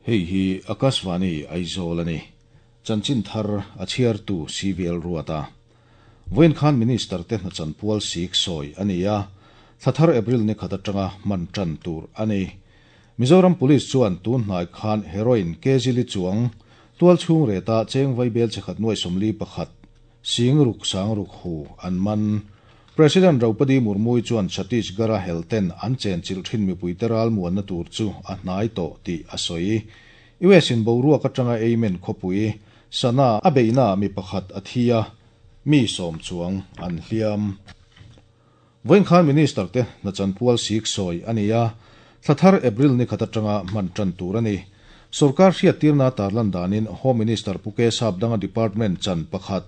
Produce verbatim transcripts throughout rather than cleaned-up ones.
Hei hi Akashvani Aizawl ani. Chanchin thar a chhiar tu C V L Ruata. Vawiin khan Minister te hna chanpual sik sawi ani a, thlathar April ni khat atanga man tan tur ani. Mizoram Police chuan tun hnai khan heroin kg li chuang tual chhung reta cheng vai bel chekhat nuai somli pakhat sing ruk sang ruk hu an man. President Draupadi Murmu chuan Chhattisgarh helten an chen chil thin mi puiteral muan na tur chu a hnai to ti a soi. U S in boruak atanga Yemen khopui Sana a beina mi pakhat a thia, mi som chuang an hliam. Voin khan Minister te na chanpual sik sawi ania, thlathar April ni khat atanga man tan tur ani. Sarkar hriat tirna tarlan danin Home Minister Puke Sapdanga Department chan pakhat,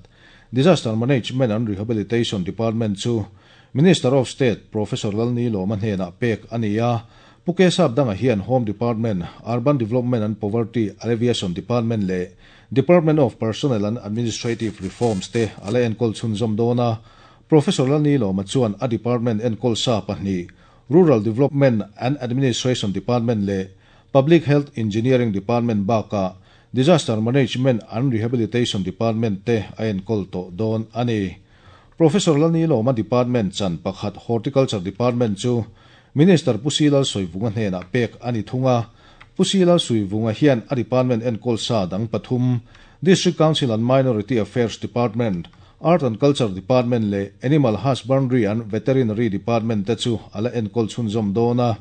Disaster Management and Rehabilitation Department chu Minister of State Professor Lalni Loma hnena pek ania. Puke Sapdanga hian Home Department, Urban Development and Poverty Alleviation Department le Department of Personnel and Administrative Reforms te ala enkol chhunzawm dona. Professor Lalni Loma chuan a department enkol sa pahnih, Rural Development and Administration Department le Public Health Engineering Department baka Disaster Management and Rehabilitation Department te a enkol to don ani. Professor Lalni Loma Department chan pakhat, Horticulture Department chu Minister Pusilal Soivunga hnena pek ani thunga. Pusilal Suivunga hian a department enkol sa dang pathum, District Council and Minority Affairs Department, Art and Culture Department le Animal Husbandry and Veterinary Department te chu ala enkol chhunzawm dona.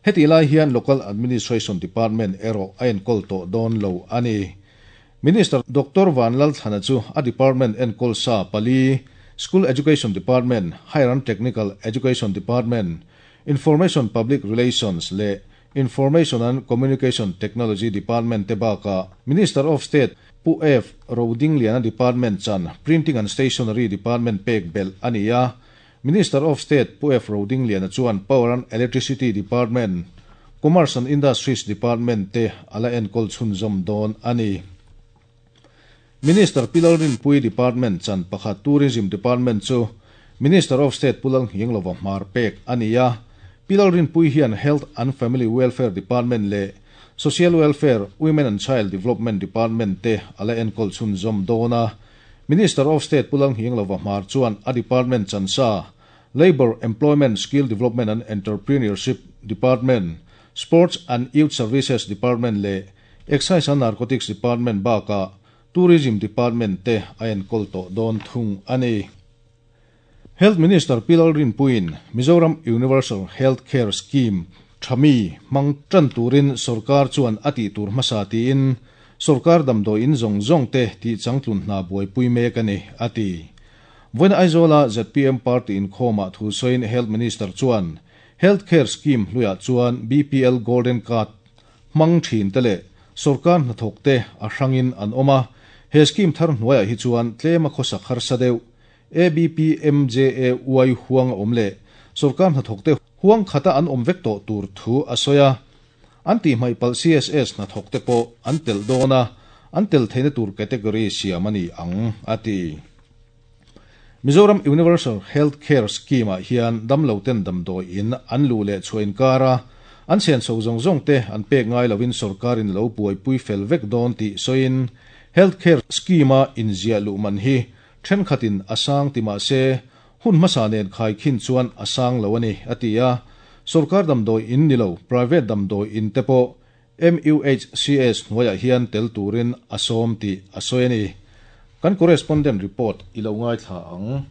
Heti lai hian Local Administration Department ero a enkol to don lo ani. Minister Doctor Van Lal Thana chu a department enkol sa pali, School Education Department, Higher and Technical Education Department, Information Public Relations le Information and Communication Technology Department te baka Minister of State Pu F Roding Liana Department chan, Printing and Stationery Department pek bel ania. Minister of State Pu F Roding Liana chuan Power and Electricity Department, Commerce and Industries Department te ala enkol chhunzawm don ani. Minister Pilalrin Pui Department chan pakhat, Tourism Department chu Minister of State Pulang Hinglova Mar pek ania. Pilalrin Pui hian Health and Family Welfare Department le Social Welfare, Women and Child Development Department te ala enkol chhunzawm dona. Minister of State Pulang Hinglova Mar chuan a department chansa, Labor, Employment, Skill Development and Entrepreneurship Department, Sports and Youth Services Department le Excise and Narcotics Department baka Tourism Department te a enkol to don thung ani. Health Minister Pilal Rinpuin Mizoram Universal Health Care Scheme thami mang tran turin sarkar chuan ati tur hmasa tiin sarkar damdo in zong zong te ti changtlun hna buai pui mek ani ati. Voin Aizola Z P M party in khoma thu soin Health Minister chuan Health Care Scheme hluya chuan B P L Golden Card mang thin tele sarkar hnathawk te a hrangin an oma. He scheme thar hnuaiah hi chuan tlema khawsak harsa deuh A B P M J A Y huang awm le sarkar hnathawk te huang khata an awm vek tawh tur thu a sawi a. An tih hmaih palh C S S hnathawk te pawh an tel dawn a, an tel theihna tur category siam ani ang a ti. Mizoram Universal Health Care Scheme ah hian damlo ten damdawi in an lu leh chhuah kara an sian so zawng zawng te an pek ngai lovin sarkarin lo buai pui fel vek dawn tih sawiin health care scheme a inziah luh man hi thenkhatin asang ti mah se hun hmasa nen khai khin chuan asang lo ani ati a. Sarkar damdawi in nilo private damdawi in te pawh M U H C S hnuaiah hian tel turin a sawm tih a sawi ani. Kan correspondent report ilo ngai thla ang.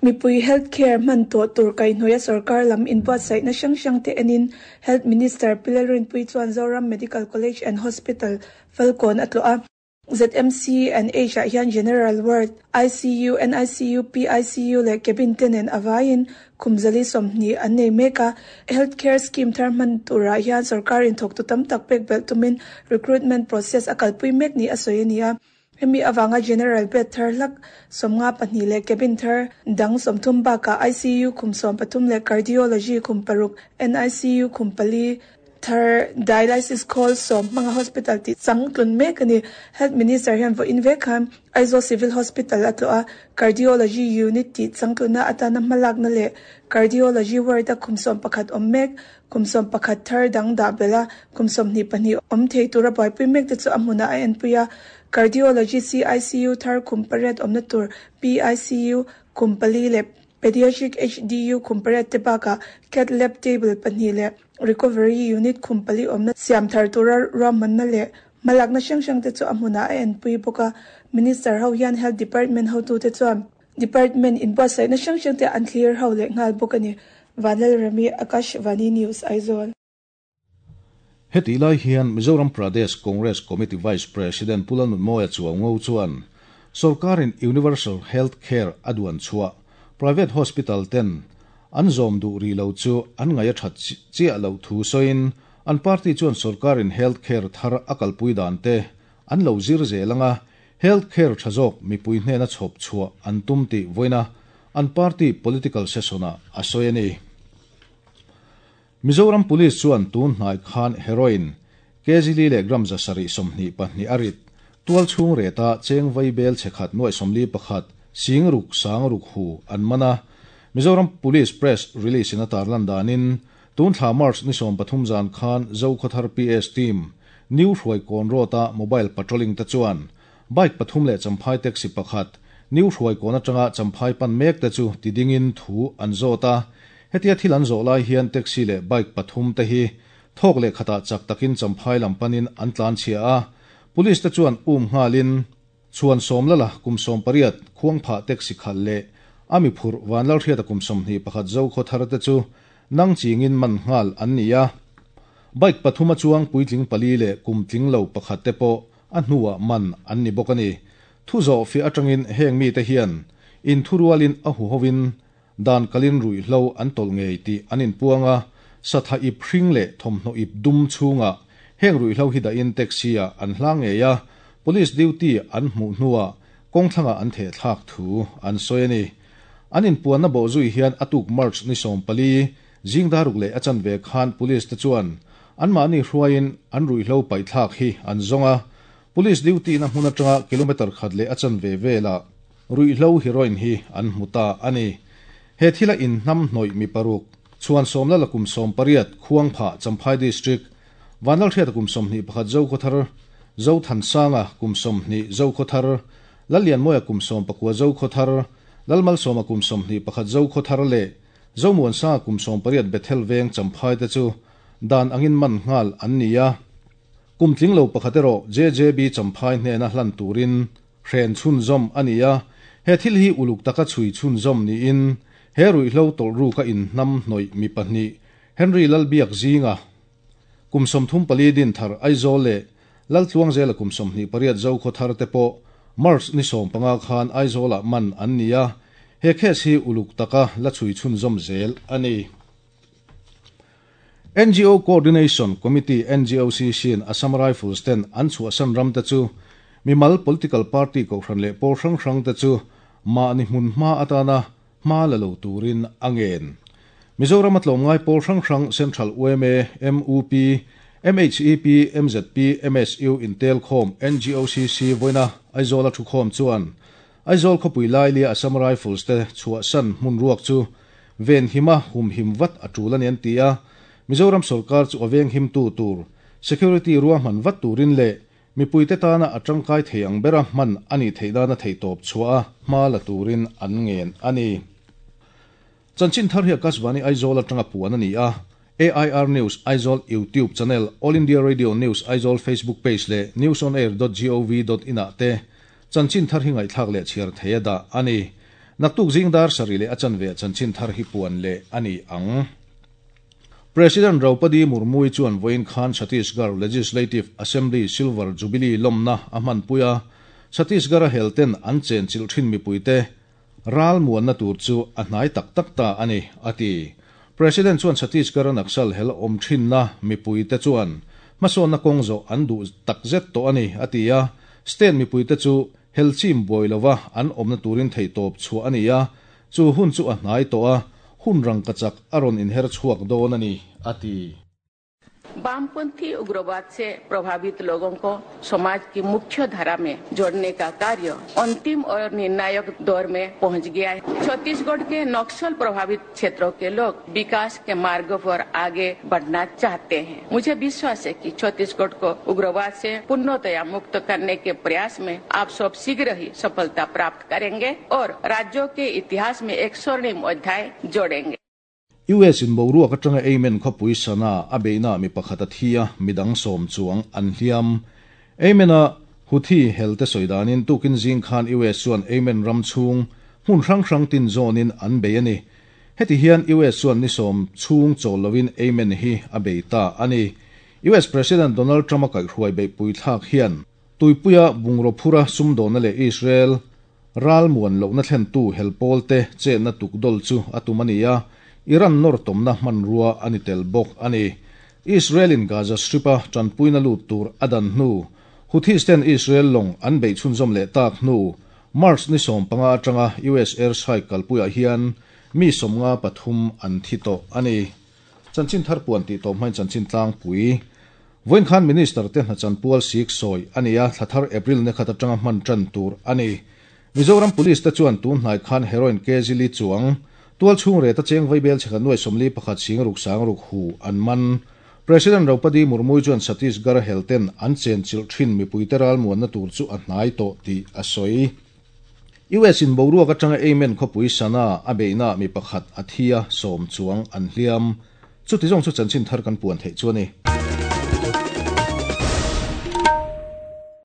Mipui healthcare man to tur kai hnuaia sarkar lam in buatsaih na hrang hrang te enin Health Minister Pilalrin Pui chuan Zoram Medical College and Hospital Falkawn a tlawh a. Z M C and H ah hian General Ward, I C U, N I C U, P I C U leh cabin te nen awaiin khumzali sawmhnih an nei mek a. Healthcare scheme thar hman turah hian sarkar in thawk tu tam tak pek belh tumin recruitment process a kalpui mek ni a sawi ani a. Hemi awanga general bed thar hlak sawmnga pahnih leh cabin thar dang sawmthum bakah I C U khum sawm pathum leh cardiology khum paruk, N I C U khum pali. thar dialysis khawl sawm hmanga hospital tih changtlun mek a ni. Health Minister hian vawiin vek khan Aizawl Civil Hospital a tlawh a, Cardiology Unit tih changtlunna atana hmalakna leh Cardiology Ward a kum sawm pakhat awm mek, kum sawm pakhat thar dang dah belh a, kum sawmhnih pahnih awm thei tura buaipui mek te chu a hmunah a enpui a. Cardiology C I C U thar kum pariat awmna tur P I C U kum pali leh Pediatric H D U kum pariat te bakah Cath Lab table pahnih leh Recovery Unit kum pali awmna siam thar tura ruahmanna leh hmalakna hrang hrang te chu a hmunah a enpui bawk a. Minister ho hian Health Department hotute chuan Department inbuatsaihna hrang hrang te an thlir ho leh nghal bawk a ni. Vanlalrami, Akashvani News, Aizawl. Heti lai hian Mizoram Pradesh Congress Committee Vice President Pu Lalnunmawia Chuango chuan Sorkarin Universal Health Care a duan chhuah Private Hospital ten an zawm duh rih lo chu an ngaih a that chiah loh thu sawiin an party chuan Sorkarin Health Care thar a kalpui dan te an lo zir zel anga Health Care tha zawk mipui hnena chhawp chhuah an tum tih vawiina an party political session-ah a sawi a ni. Mizoram Police chuan tun hnai khan heroin kg li leh gram za sarih sawmhnih pahnih a rit tual chhung reta cheng vai bel chhe khat nuai sawmli pakhat sing ruk sang ruk hu an man a. Mizoram Police Press release in a tarlan danin tun thla March ni sawm pathum zan khan Zokhawthar P S team New Hruaikawn Road-a mobile patrolling te chuan bike pathum leh champhai taxi pakhat New Hruaikawn atanga champhai pan mek te chu tidingin thu an zawt a. Hetia thil an zawh lai hian taxi leh bike pathum te hi thawk leh khatah chak takin champhai lam panin an tlan chhia a. Police te chuan um nghalin chuan sawm lala kum sawm pariat khuang phah taxi khal leh ami phur vanlal hriata kum sawmhnih pakhat Zokhawthar te chu nang chingin man nghal an ni a. Bike pathuma chuang puitling pali leh kum tling lo pakhat te pawh a hnuah man an ni bawk a ni. Thu zawh fi atangin heng mi te hian in thurualin a huhovin dan kalin ruihhlo an tawlh ngei tih an inpuang a. Satha ip hring leh thawmhnaw ip dum chhungah heng ruihhlo hi dahin taxi-ah an hlang ngei a. Police duty an hmuh hnuah kawngthlangah an theh thlak thu an sawi a ni. An inpuanna bawh zui hian atuk March ni sawm pali zingdaruk leh a chanve khan police te chuan anmahni hruaiin an ruihhlo paih thlak hi an zawng a. Police duty na hmun atanga kilometer khat leh a chanve velah ruihhlo heroin hi an hmu ta a ni. He thila in hnam hnawih mi paruk chuan sawmla la kum sawm pariat khuang phah Champhai District Vanlal hriata kum sawmhnih pakhat Zokhawthar Zothansanga kum sawmhnih Zokhawthar Lallianmawia kum sawm pakua Zokhawthar Lalmalsawma kum sawmhnih pakhat Zokhawthar leh Zomuansanga kum sawm pariat Bethel Veng Champhai te chu dan angin man nghal an ni a. Kum tling lo pakhat erawh J J B Champhai hnena hlan turin hren chhunzawm a ni a. He thil hi uluk taka chhui chhunzawm niin he ruihhlo tawlh ru ka in hnam hnawih mi pahnih Henry Lalbiak zinga kum sawmthum pali din thar Aizawl leh Laltluang zela kum sawmhnih pariat Zokhawthar te pawh March ni sawm panga khan Aizawlah man an ni a. He case hi uluk taka la chhui chhunzawm zel a ni. N G O Coordination Committee N G O C C in Assam Rifles ten an chhuahsan ram te chu mimal political party kohhran leh pawl hrang hrang te chu mahni hmun hma atana hma la lo turin a ngen. Mizoram a tlawmngai pawl hrang hrang Central U M A, M U P, M H E P, M Z P, M S U Intel Khawm N G O C C vawiina Aizawl a thu khawm chuan Aizawl khawpui lai lia Assam Rifles te chhuahsan hmun ruak chu ven hima hum him vat a tul ani an ti a. Mizoram sarkar chu a veng him tu tur security ruahman vat turin leh mipui te tana a tangkai thei ang bera hman ani thei dana thei tawp chhuah a hma la turin an ngen a ni. Chanchin thar hi Akashvani Aizawl atanga puan a ni a. A I R News Aizawl YouTube channel, All India Radio News Aizawl Facebook page leh newsonair dot gov dot in ah te chanchin thar hi ngaihthlak leh chhiar thei a dah a ni. Naktuk zingdar sari leh a chanve chanchin thar hi puan leh a ni ang. President Draupadi Murmu chuan vawiin khan Chhattisgarh Legislative Assembly Silver Jubilee lawmna a hmanpui a. Chhattisgarh a helten an chen chilh thin mipuite ral muanna tur chu a hnai tak tak ta a ni a ti. President chuan Chhattisgarh a Naxal hel awm thinna mipuite chuan hmasawnna kawng zawh an duh takzet tawh a ni a ti a. State mipuite chu hel chim buai lova an awmna turin thei tawp chhuah a ni a. Chu hun chu a hnai tawh a, hun rang ka chak a rawn inher chhuak dawn a ni a ti. वामपंथी उग्रवाद से प्रभावित लोगों को समाज की मुख्य धारा में जोड़ने का कार्य अंतिम और निर्णायक दौर में पहुंच गया है। छत्तीसगढ़ के नक्सल प्रभावित क्षेत्रों के लोग विकास के मार्ग पर आगे बढ़ना चाहते हैं। मुझे विश्वास है कि छत्तीसगढ़ को उग्रवाद से पूर्णतया मुक्त करने के प्रयास में आप सब शीघ्र ही सफलता प्राप्त करेंगे और राज्यों के इतिहास में एक स्वर्णिम अध्याय जोड़ेंगे। U S in boruak atanga Yemen khawpui Sanaa a beihna mi pakhat a thi a, midang sawm chuang an hliam. Yemen a Houthi helte sawidanin tukin zing khan U S chuan Yemen ram chhung hmun hrang hrang tin zawnin an bei a ni. Heti hian U S chuan ni sawm chhung chawl lovin Yemen hi a bei ta a ni. U S President Donald Trump a kaihhruai beihpui thlak hian tuipuia bungraw phura sumdawna leh Israel ral muan lohna thlentu helpawl te chetna tukdawlh chu a tum a ni a. Iran nor tomna hmanrua ani tel bawk a ni. Israel in Gaza Strip a tanpuina lut tur a dan hnu. Houthis ten Israel lawng an beih chhunzawm leh tak hnu. March ni sawm panga atanga U S air strike kalpuiah hian mi sawmnga pathum an thi tawh a ni. Chanchin thar puan tih tawh hmain chanchin tlangpui. Vawiin khan minister te hna chanpual sik sawi a ni a, thla thar April ni khat atanga hman tan tur a ni. Mizoram Police te chuan tun hnai khan heroin kg li chuang tual chhung reta cheng vaibel chhekha nuai sawmli pakhat sing ruk sang ruk hu an man. President Draupadi Murmu chuan Chhattisgarh helten an chen chilh thin mipui te ral muanna tur chu a hnai tawh tih a sawi. U S in boruak atanga Yemen khawpui Sanaa a beihna mi pakhat a thi a, sawm chuang an hliam. Chuti zawng chu chanchin thar kan puan theih chu a ni.